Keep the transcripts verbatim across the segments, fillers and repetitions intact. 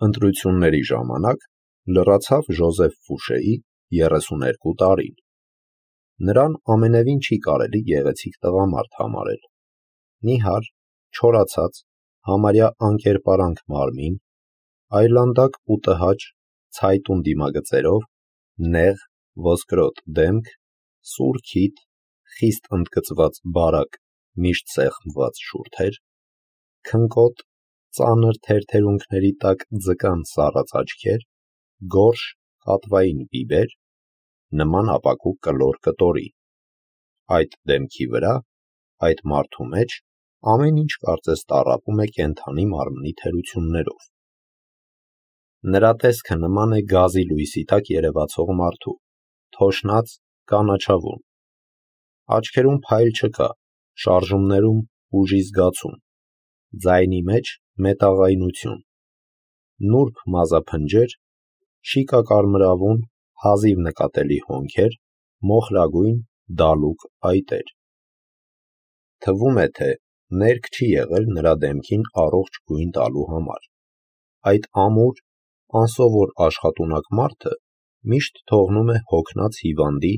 Ընտրությունների ժամանակ լրացավ Ժոզեֆ Ֆուշեի երեսուներկու տարին։ Նրան ամենևին չի կարելի գեղեցիկ տղամարդ համարել։ Նիհար, չորացած, համարյա անկերպարանք մարմին, այլանդակ ու տհաճ, ցայտուն դիմագծերով, նեղ, ոսկրոտ դեմք, սուր քիթ, խիստ ընդգծված բարակ, միշտ սեղմված շուրթեր, քնկոտ, ծանր թերթերունքների տակ ձկան սառած աչքեր, գորշ, կատվային բիբեր, նման ապակու կլոր կտորի։ Այդ դեմքի վրա, այդ մարդու մեջ ամեն ինչ կարծես տառապում է կենդանի մարմնի թերություններով։ Նրա տեսքը նման է գազի լույսի տակ երևացող մարդու, թոշնած, կանաչավուն։ Աչքերում փայլ չկա, շարժումներում ուժի զգացում, ձայնի մեջ մետաղայնություն, նուրբ մազափնջեր, շիկակարմրավուն, հազիվ նկատելի հոնքեր, մոխրագույն, դալուկ այտեր։ Թվում է, թե ներք չի եղել նրա դեմքին առողջ գույն տալու համար։ Այդ ամուր, անսովոր աշխատունակ մարդը միշտ թողնում է հոգնած հիվանդի,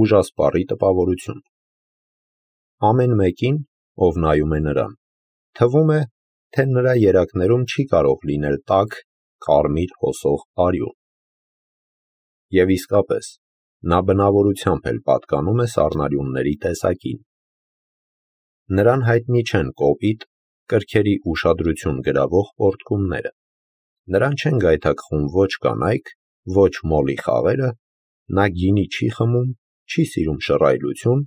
ուժասպառի տպավորություն։ Ամեն մեկին, ով նայում է նրան, թվում է, թե նրա երակներում չի կարող լինել տաք, կարմիր հոսող արյուն։ Եվ իսկապես, նա բնավորությամբ էլ պատկանում է սառնարյունների տեսակին։ Նրան հայտնի չեն կոպիտ, կրքերի ուշադրություն գրավող պոռթկումները, նրան չեն գայթակղում ոչ կանայք, ոչ մոլի խաղերը, նա գինի չի խմում, չի սիրում շռայլություն,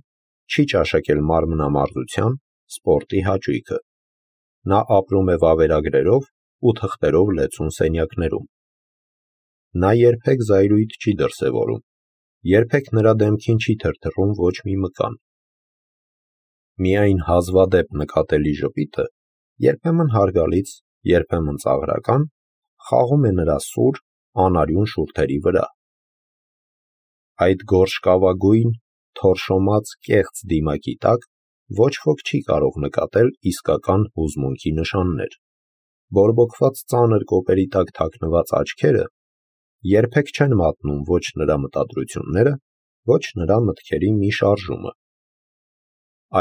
չի ճաշակել մարմնամարզության, սպորտի հաճույքը։ Նա ապրում է վավերագրերով ու թղթերով լեցուն սենյակներում։ Նա երբեք զայրույթ չի դրսևորում, երբեք նրա դեմքին չի թրթռում ոչ մի մկան։ Միայն հազվադեպ նկատելի ժպիտը, երբեմն հարգալից, երբեմն ծաղրական, խաղում է նրա սուր, անարյուն շուրթերի վրա։ Այդ գորշկավագույն, թորշոմած կեղծ դիմակի տակ ոչ ոք չի կարող նկատել իսկական հուզմունքի նշաններ։ Բորբոքված ծանր կոպերի տակ թաքնված աչքերը երբեք չեն մատնում ոչ նրա մտադրությունները, ոչ նրա մտքերի մի շարժումը։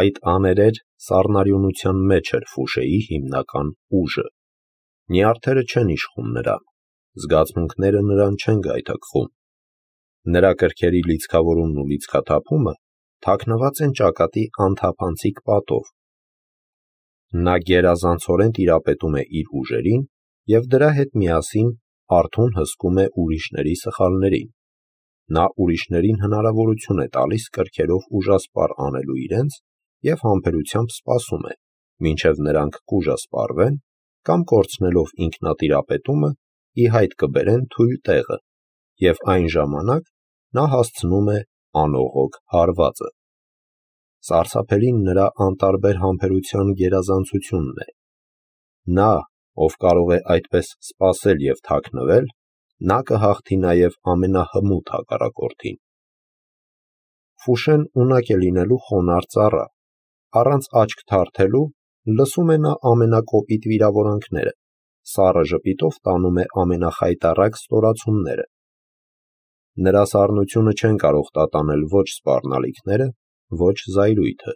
Այդ աներեր սառնարյունության մեջ էր Ֆուշեի հիմնական ուժը։ Նյարդերը չեն իշխում նրան, զգացմունքները նրան չեն գայթակղում։ Նրա կրքերի լիցքավորումն ու լիցքաթափումը թաքնված են ճակատի անթափանցիկ պատով։ Նա գերազանցորեն տիրապետում է իր ուժերին և դրա հետ միասին արթուն հսկում է ուրիշների սխալներին։ Նա ուրիշներին հնարավորություն է տալիս կրքերով ուժասպառ անելու իրենց և համբերությամբ սպասում է, մինչև նրանք կուժասպառվեն կամ կորցնելով ինքնատիրապետումը ի հայտ կբերեն թույլ տեղը, և այն ժամանակ նա հասցնում է անողոք հարվածը։ Սարսափելին նրա անտարբեր համբերության գերազանցությունն է։ Նա, ով կարող է այդպես սպասել և թաքնվել, նա կհաղթի նաև ամենահմուտ հակառակորդին։ Ֆուշեն ունակ է լինելու խոնարհ ծառա, առանց աչք թարթելու լսում է նա ամենակոպիտ վիրավորանքները, սառը ժպիտով տանում է ամենախայտառակ ստորացումները։ Նրա սառնությունը չեն կարող տատանել ոչ սպառնալիքները, ոչ զայրույթը։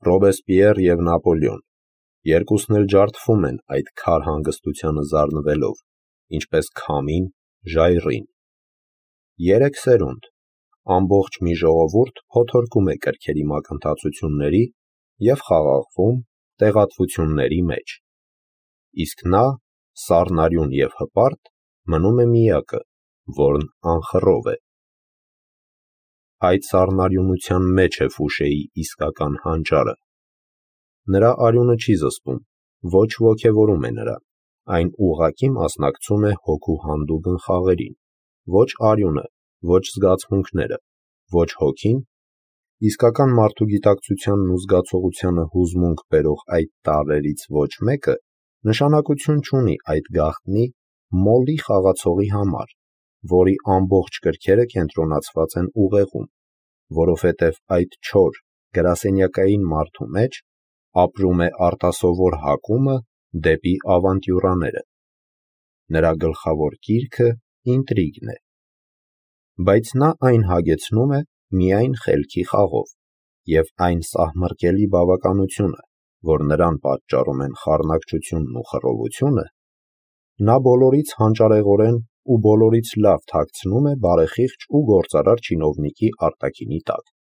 Ռոբեսպիեր և Նապոլեոն, երկուսն էլ ջարդվում են այդ քար հանգստությանը զարնվելով, ինչպես քամին ժայռին։ Երեք սերունդ, ամբողջ մի ժողովուրդ փոթորկում է կրքերի մակընթացությունների և խաղաղվում տեղատվությունների մեջ։ Իսկ նա, սառնարյուն և հպարտ, մնում է միակը, որն անխռով է։ Այդ սառնարյունության մեջ է Ֆուշեի իսկական հանճարը։ Նրա արյունը չի զսպում, ոչ ոգևորում է նրան, այն ուղղակի մասնակցում է հոգու հանդուգն խաղերին, ոչ արյունը, ոչ զգացմունքները, ոչ հոգին, իսկական մարդու գիտակցությանն ու զգացողությանը հուզմունք բերող այդ տարրերից ոչ մեկը նշանակություն չունի այդ գաղտնի, մոլի խաղացողի համար, որի ամբողջ կրքերը կենտրոնացված են ուղեղում, որովհետև այդ չոր, գրասենյակային մարդու մեջ ապրում է արտասովոր հակումը դեպի ավանտյուրաները։ նրա գլխավոր կիրքը ինտրիգն է, բայց նա այն հագեցնում է միայն խելքի խաղով, և այն սահմռկելի բավականությունը, որ նրան պատճառում են խառնակչությունն ու խռովությունը, նա բոլորից հանճարեղորեն ու բոլորից լավ թաքցնում է բարեխիղճ ու գործարար չինովնիկի արտաքինի տակ։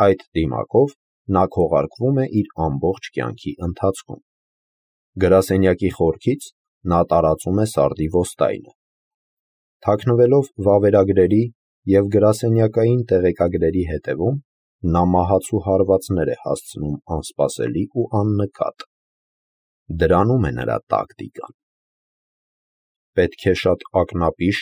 Այդ դիմակով նա քողարկվում է իր ամբողջ կյանքի ընթացքում։ Գրասենյակի խորքից նա տարածում է սարդի ոստայնը։ Թաքնվելով վավերագրերի և գրասենյակային տեղեկագրերի հետևում, նա մահացու հարվածներ է հասցնում անսպասելի ու աննկատ։ Դրանում է նրա տակտիկան։ Պետք է շատ ակնապիշ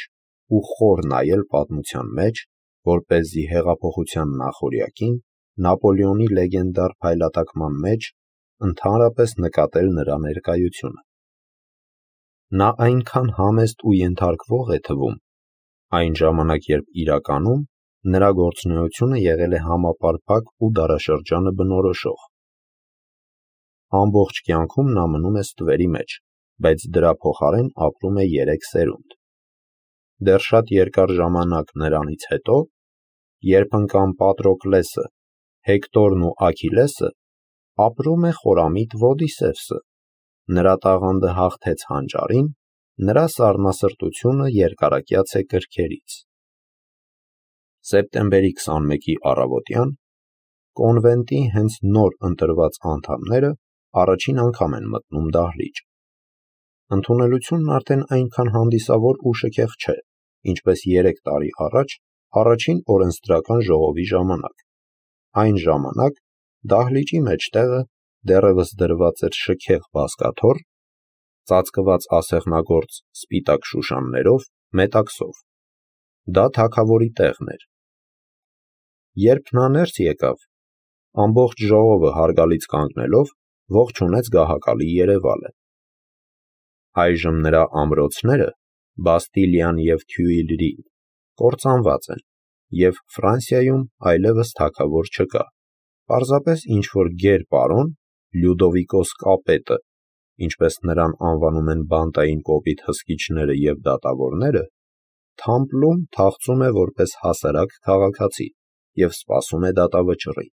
ու խոր նայել պատմության մեջ, որպեսզի հեղափոխության նախօրյակին Նապոլեոնի լեգենդար փայլատակման մեջ ընդհանրապես նկատել նրա ներկայությունը։ Նա այնքան համեստ ու ենթարկվող է թվում, այն ժամանակ, երբ իրականում նրա գործունեությունը եղել է համապարփակ ու դարաշրջանը բնորոշող։ Ամբողջ կյանքում նա մնում է ստվերի մեջ, բայց դրա փոխարեն ապրում է երեք սերունդ։ Դեռ շատ երկար ժամանակ նրանից հետո, երբ ընկան Պատրոկլեսը, Հեկտորն ու Աքիլեսը, ապրում է խորամիտ Ոդիսևսը։ Նրա տաղանդը հաղթեց հանճարին, նրա սառնասրտությունը երկարակյաց է կրքերից։ Սեպտեմբերի քսանմեկի առավոտյան կոնվենտի հենց նոր ընտրված անդամները առաջին անգամ են մտնում դահլիճ։ Ընդունելությունն արդեն այնքան հանդիսավոր ու շքեղ չէ, ինչպես երեք տարի առաջ առաջին օրենսդրական ժողովի ժամանակ։ Այն ժամանակ դահլիճի մեջտեղը դեռևս դրված էր շքեղ բազկաթոռ, ծածկված ասեղնագործ սպիտակ շուշաններով, մետաքսով։ Դա թագավորի տեղն էր։ Երբ նա ներս եկավ, ամբողջ ժողովը հարգալից կանգնելով ողջունեց գահակալի երևալը։ Այժմ նրա ամրոցները, Բաստիլիան և Թյուիլրին, կործանված են, և Ֆրանսիայում այլևս թագավոր չկա, պարզապես ինչ-որ գեր պարոն Լյուդովիկոս կապետը, ինչպես նրան անվանում են բանտային կոպիտ հսկիչները և դատավորները, թամպլում թախծում է որպես հասարակ քաղաքացի և սպասում է դատավճռի։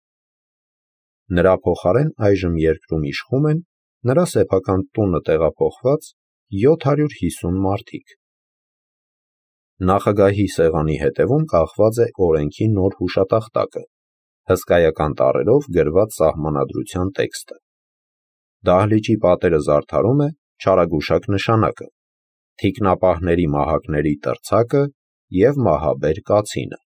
Նրա փոխարեն այժմ երկրում իշխում են նրա սեփական տունը տեղափոխված յոթ հարյուր հիսուն մարդիկ։ Նախագահի սեղանի հետևում կախված է օրենքի նոր հուշատախտակը, հսկայական տառերով գրված սահմանադրության տեքստը։ Դահլիճի պատերը զարդարում է չարագուշակ նշանակը, թիկնապահների մահակների տրցակը և մահաբեր կացինը։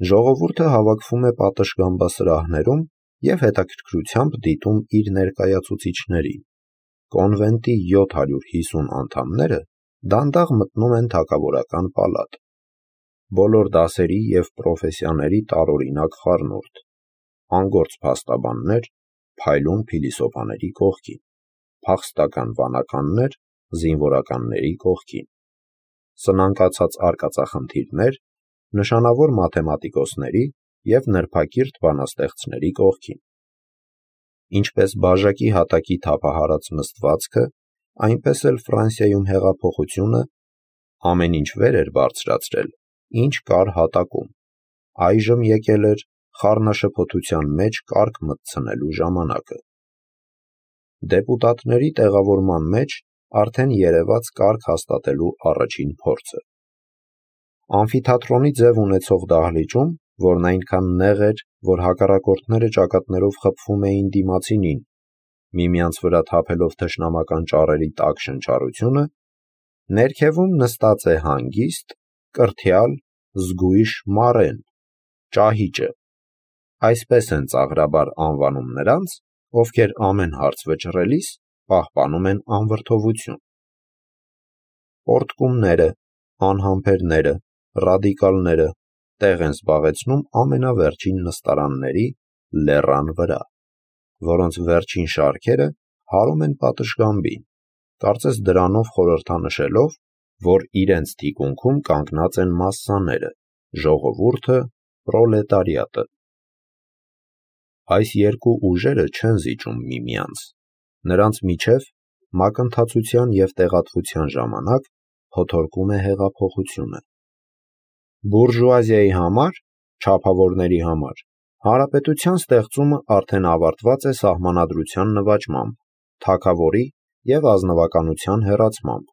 Ժողովուրդը հավաքվում է պատշգամբասրահներում և հետաքրքրությամբ դիտում իր ներկայացուցիչներին։ Կոնվենտի յոթ հարյուր հիսուն անդամները դանդաղ մտնում են թագավորական պալատ։ Բոլոր դասերի և պրոֆեսիաների տարօրինակ խառնուրդ, անգործ փաստաբաններ փայլուն փիլիսոփաների կողքին, փախստական վանականներ զինվորականների կողքին, սնանկացած արկածախնդիրներ նշանավոր մաթեմատիկոսների և նրբակիրթ բանաստեղծների կողքին։ Ինչպես բաժակի հատակի թափահարած նստվածքը, այնպես էլ Ֆրանսիայում հեղափոխությունը ամեն ինչ վեր էր բարձրացրել, ինչ կար հատակում, այժմ եկել էր խառնաշփոթության մեջ կարգ մտցնելու ժամանակը։ Դեպուտատների տեղավորման մեջ արդեն երևաց կարգ հաստատելու առաջին փորձը։ Ամֆիթատրոնի ձև ունեցող դահլիճում, որն այնքան նեղ էր, որ հակառակորդները ճակատներով խփվում էին դիմացինին, միմյանց վրա թափելով թշնամական ճառերի տաք շնչառությունը, ներքևում նստած է հանգիստ, կրթյալ, զգույշ մարեն, ճահիճը։ Այսպես են ծաղրաբար անվանում նրանց, ովքեր ամեն հարց վճռելիս պահպանում են անվրդովություն։ Պորտկումները, անհամբերները, ռադիկալները տեղ են զբաղեցնում ամենավերջին նստարանների լեռան վրա, որոնց վերջին շարքերը հարում են պատշգամբին, կարծես դրանով խորհրդանշելով, որ իրենց թիկունքում կանգնած են մասսաները, ժողովուրդը, պրոլետարիատը։ Այս երկու ուժերը չեն զիջում միմյանց, նրանց միջև մակընթացության և տեղատվության ժամանակ փոթորկում է հեղափոխությունը։ Բուրժուազիայի համար, չափավորների համար, հանրապետության ստեղծումը արդեն ավարտված է սահմանադրության նվաճմամբ, թագավորի և ազնվականության հեռացմամբ,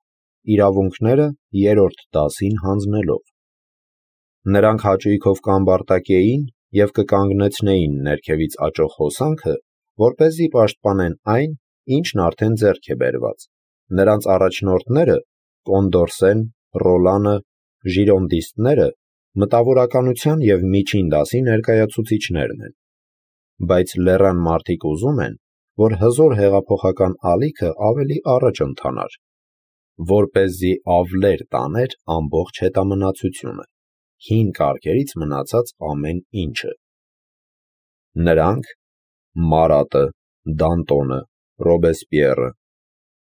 իրավունքները երրորդ դասին հանձնելով։ Նրանք հաճույքով կամբարտակեին և կկանգնեցնեին ներքևից աճող հոսանքը, որպեսզի պաշտպանեն այն, ինչն արդեն ձեռք է բերված։ Նրանց առաջնորդները՝ Կոնդորսեն, Ռոլանը, ժիրոնդիստները, մտավորականության և միջին դասի ներկայացուցիչներն են։ Բայց լեռան մարդիկ ուզում են, որ հզոր հեղափոխական ալիքը ավելի առաջ ընթանար, որպեսզի ավլեր տաներ ամբողջ հետամնացությունը, հին կարգերից մնացած ամեն ինչը։ Նրանք՝ Մարատը, Դանտոնը, Ռոբեսպիերը,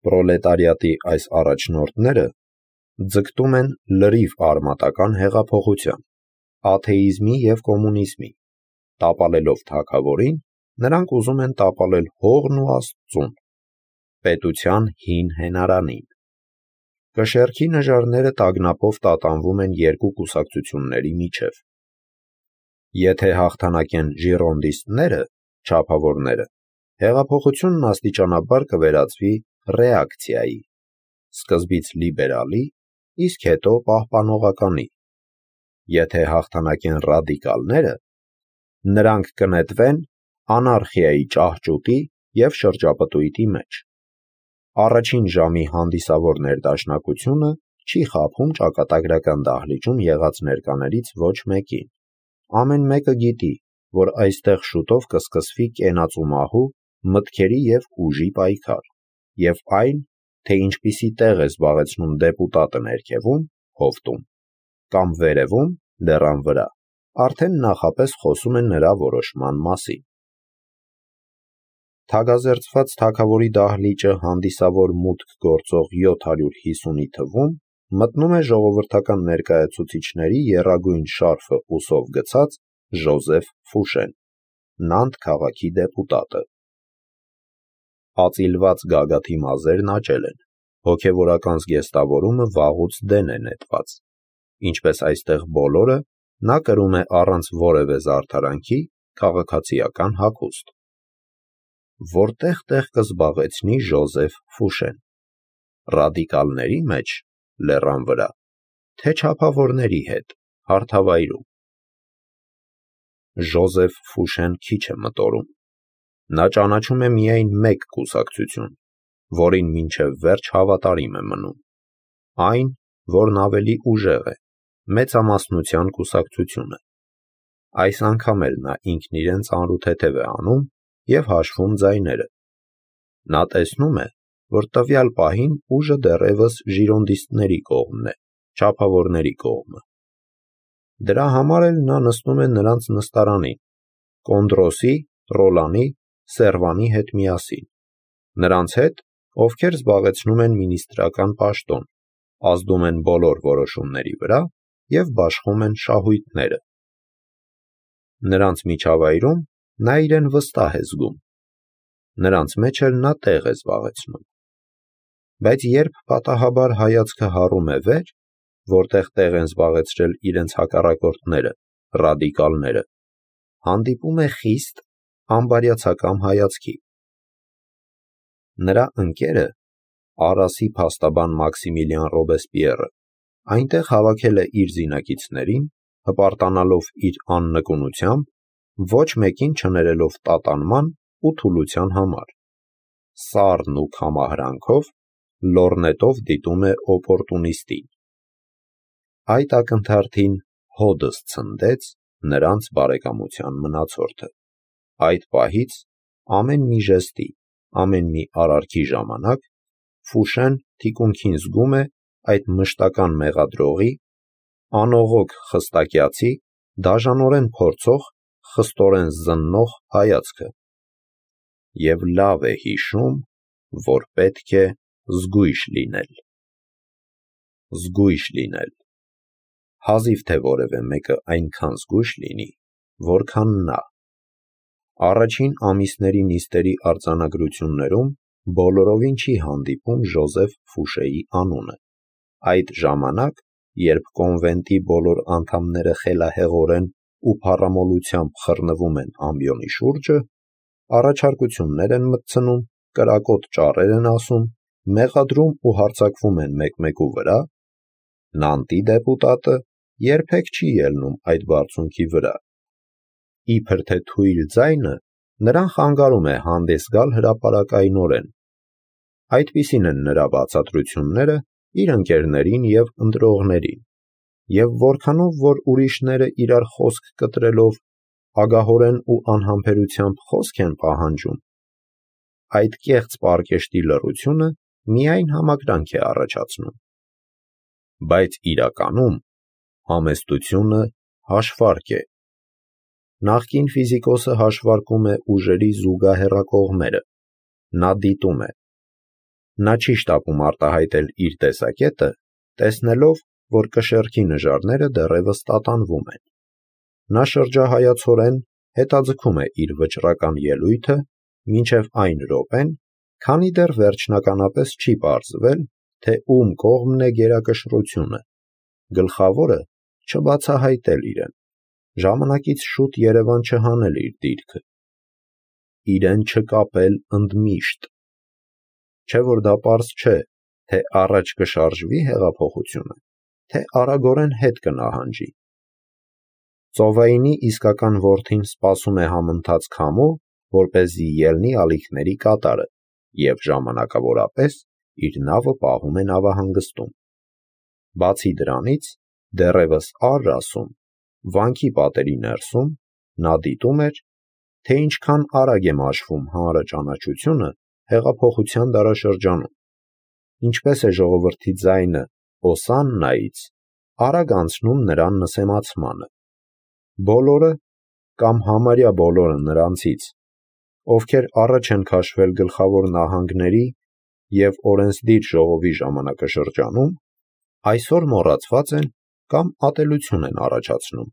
պրոլետարիատի այս առաջնորդները, ձգտում են լրիվ արմատական հեղափոխության, աթեիզմի և կոմունիզմի։ Տապալելով թագավորին, նրանք ուզում են տապալել հողն ու Աստծուն, պետության հին հենարանին։ Կշեռքի նժարները տագնապով տատանվում են երկու կուսակցությունների միջև։ Եթե հաղթանակեն ժիրոնդիստները, չափավորները, հեղափոխությունն աստիճանաբար կվերածվի ռեակցիայի, սկզբից լիբերալի, իսկ հետո պահպանողականի։ Եթե հաղթանակեն ռադիկալները, նրանք կնետվեն անարխիայի ճահճուտի և շրջապտույտի մեջ։ Առաջին ժամի հանդիսավոր ներդաշնակությունը չի խաբում ճակատագրական դահլիճում եղած ներկաներից ոչ մեկին։ Ամեն մեկը գիտի, որ այստեղ շուտով կսկսվի կենացու մահու, մտքերի և ուժի պայքար, և այն, թե ինչպիսի տեղ է զբաղեցնում դեպուտատը ներքևում, հովտում, կամ վերևում, լեռան վրա, արդեն նախապես խոսում է նրա որոշման մասին։ Թագազերծված թագավորի դահլիճը հանդիսավոր մուտք գործող յոթ հարյուր հիսունի թվում մտնում է ժողովրդական ներկայացուցիչների եռագույն շարֆը ուսով գցած Ժոզեֆ Ֆուշեն, Նանտ քաղաքի դեպուտատը։ Ածիլված գագաթի մազերն աճել են, հոգևորական զգեստավորումը վաղուց դեն է նետված։ Ինչպես այստեղ բոլորը, նա կրում է առանց որևէ զարդարանքի քաղաքացիական հագուստ։ Որտեղ տեղ կզբաղեցնի Ժոզեֆ Ֆուշեն։ Ռադիկալների մեջ, լեռան վրա, թե չափավորների հետ, հարթավայրում։ Ժոզեֆ Ֆուշեն քիչ է մտորում։ Նա ճանաչում է միայն մեկ կուսակցություն, որին մինչև վերջ հավատարիմ է մնում։ Այն, որն ավելի ուժեղ է, մեծամասնության կուսակցությունը։ Այս անգամ էլ նա ինքն իրեն ծանրութեթև է անում և հաշվում ձայները։ Նա տեսնում է, որ տվյալ պահին ուժը դեռևս ժիրոնդիստների կողմն է, չափավորների կողմը։ Դրա համար էլ նա նստում է նրանց նստարանին, Կոնդրոսի, Ռոլանի, Սերվանի հետ միասին, նրանց հետ, ովքեր զբաղեցնում են մինիստրական պաշտոն, ազդում են բոլոր որոշումների վրա և բաշխում են շահույթները։ Նրանց միջավայրում նա իրեն վստահ է զգում։ Նրանց մեջ էլ նա տեղ է զբաղեցնում։ Բայց երբ պատահաբար հայացքը հառում է վեր, որտեղ տեղ են զբաղեցրել իրենց հակառակորդները, ռադիկալները, հանդիպում է խիստ, անբարյացակամ հայացքի։ Նրա ընկերը, Արասի փաստաբան Մաքսիմիլիան Ռոբեսպիերը, այնտեղ հավաքել է իր զինակիցներին, հպարտանալով իր աննկունությամբ, ոչ մեկին չներելով տատանման ու թուլության համար։ Սառն ու քամահրանքով, լոռնետով դիտում է օպորտունիստին։ Այդ ակնթարթին հոդս ցնդեց նրանց բարեկամության մնացորդը։ Այդ պահից ամեն մի ժեստի, ամեն մի արարքի ժամանակ Ֆուշեն թիկունքին զգում է այդ մշտական մեղադրողի, անողոք խստակյացի, դաժանորեն փորձող, խստորեն զննող հայացքը։ Եվ լավ է հիշում, որ պետք է զգույշ լինել։ Զգույշ լինել։ Հազիվ թե որևէ մեկը այնքան զգույշ լինի, որքան նա։ Առաջին ամիսների նիստերի արձանագրություններում բոլորովին չի հանդիպում Ժոզեֆ Ֆուշեի անունը։ Այդ ժամանակ, երբ կոնվենտի բոլոր անդամները խելահեղորեն ու փառամոլությամբ խռնվում են ամբիոնի շուրջը, առաջարկություններ են մտցնում, կրակոտ ճառեր են ասում, մեղադրում ու հարձակվում են մեկ-մեկու վրա, Նանտի դեպուտատը երբեք չի ելնում այդ բարձունքի վրա։ Իբր թե թույլ ձայնը նրան խանգարում է հանդես գալ հրապարակայնորեն։ Այդպիսին են նրա բացատրությունները իր ընկերներին և ընտրողներին, և որքանով որ ուրիշները իրար խոսք կտրելով ագահորեն ու անհամբերությամբ խոսք են պահանջում, այդ կեղծ պարկեշտի լռությունը միայն համակրանք է առաջացնում։ Բայց իրականում համեստությունը հաշվարկ է։ Նախկին ֆիզիկոսը հաշվարկում է ուժերի զուգահեռակողմերը, նա դիտում է։ Նա չի շտապում արտահայտել իր տեսակետը, տեսնելով, որ կշեռքի նժարները դեռևս տատանվում են։ Նա շրջահայացորեն հետաձգում է իր վճռական ելույթը մինչև այն րոպեն, քանի դեռ վերջնականապես չի պարզվել, թե ում կողմն է գերակշռությունը, գլխավորը չբացահայտել իրեն, ժամանակից շուտ երևան չհանել իր դիրքը, իրեն չկապել ընդմիշտ, չէ որ դա պարզ չէ, թե առաջ կշարժվի հեղափոխությունը, թե արագորեն հետ կնահանջի։ Ծովայինի իսկական որդին սպասում է համընթաց քամու, որպեսզի ելնի ալիքների կատարը, և ժամանակավորապես իր նավը պահում է նավահանգստում։ Բացի դրանից, դեռևս առ ասում, վանքի պատերի ներսում, նա դիտում էր, թե ինչքան արագ է մաշվում հանրաճանաչությունը հեղափոխության դարաշրջանում, ինչպես է ժողովրդի ձայնը Օսաննայից արագ անցնում նրան նսեմացմանը։ Բոլորը, կամ համարյա բոլորը նրանցից, ովքեր առաջ են քաշվել գլխավոր նահանգների և օրենսդիր ժողովի ժամանակաշրջանում, այսօր մոռացված են կամ ատելություն են առաջացնում։